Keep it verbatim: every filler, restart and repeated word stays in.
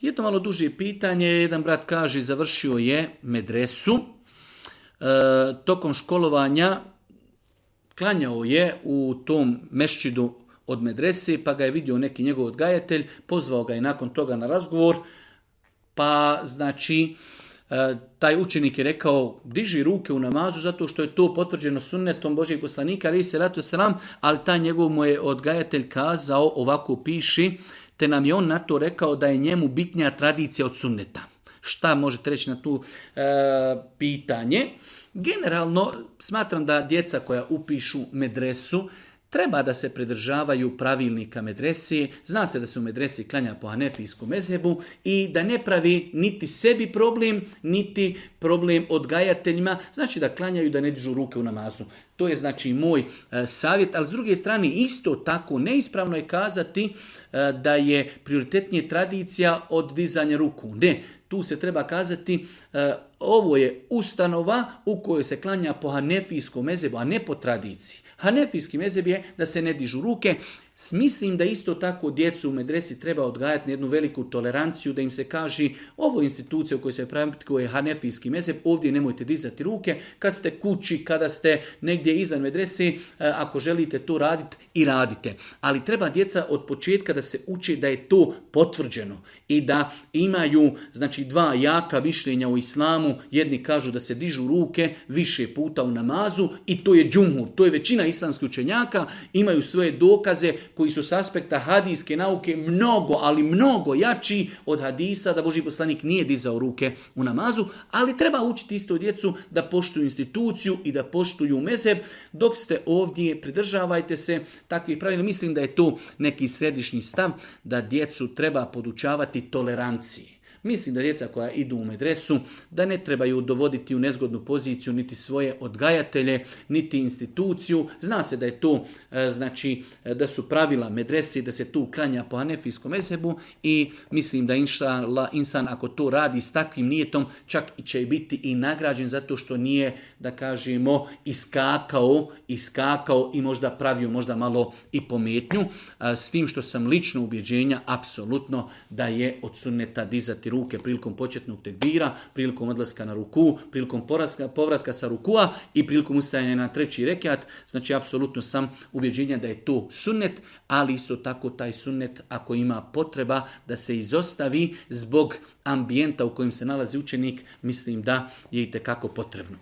Jedno malo duže pitanje, jedan brat kaže završio je medresu, e, tokom školovanja klanjao je u tom mešćidu od medrese, pa ga je vidio neki njegov odgajatelj, pozvao ga je nakon toga na razgovor, pa znači taj učenik je rekao diži ruke u namazu zato što je to potvrđeno sunnetom Božjeg poslanika, alejhi selatu vesselam, ali taj njegov mu je odgajatelj kazao, ovako piši, te nam je on na to rekao da je njemu bitnija tradicija od sunneta. Šta možete reći na tu e, pitanje? Generalno smatram da djeca koja upišu medresu treba da se pridržavaju pravilnika medrese, zna se da se u medresi klanja po hanefijskom mezhebu i da ne pravi niti sebi problem, niti problem odgajateljima, znači da klanjaju da ne dižu ruke u namazu. To je znači moj e, savjet, ali s druge strane isto tako neispravno je kazati e, da je prioritetnije tradicija od dizanja ruku. Ne, tu se treba kazati e, ovo je ustanova u kojoj se klanja po hanefijskom mezhebu, a ne po tradiciji. Hanefijski mezheb je da se ne dižu ruke. Mislim da isto tako djecu u medresi treba odgajati na jednu veliku toleranciju, da im se kaže ovo je institucija u kojoj se praktikuje hanefijski mezheb, ovdje nemojte dizati ruke, kad ste kući, kada ste negdje izvan medrese, ako želite to raditi i radite. Ali treba djeca od početka da se uče da je to potvrđeno i da imaju znači dva jaka mišljenja u islamu, jedni kažu da se dižu ruke više puta u namazu i to je džumhur, to je većina islamskih učenjaka, imaju svoje dokaze koji su s aspekta hadijske nauke mnogo, ali mnogo jači od hadisa da Božji poslanik nije dizao ruke u namazu, ali treba učiti isto djecu da poštuju instituciju i da poštuju mezheb. Dok ste ovdje, pridržavajte se takvih pravila. Mislim da je to neki središnji stav da djecu treba podučavati toleranciji. Mislim da djeca koja idu u medresu, da ne trebaju dovoditi u nezgodnu poziciju niti svoje odgajatelje, niti instituciju. Zna se da je to, znači, da su pravila medresi, da se tu klanja po hanefijskom mezhebu i mislim da inšallah insan ako to radi s takvim nijetom, čak će biti i nagrađen zato što nije, da kažemo, iskakao, iskakao i možda pravio možda malo i pometnju. S tim što sam lično ubjeđenja, apsolutno da je od sunneta dizati ruke prilikom početnog tekbira, prilikom odlaska na ruku, prilikom poraska, povratka sa rukua i prilikom ustajanja na treći rekiat. Znači, apsolutno sam ubjeđenja da je to sunnet, ali isto tako taj sunnet, ako ima potreba da se izostavi zbog ambijenta u kojem se nalazi učenik, mislim da je itekako potrebno.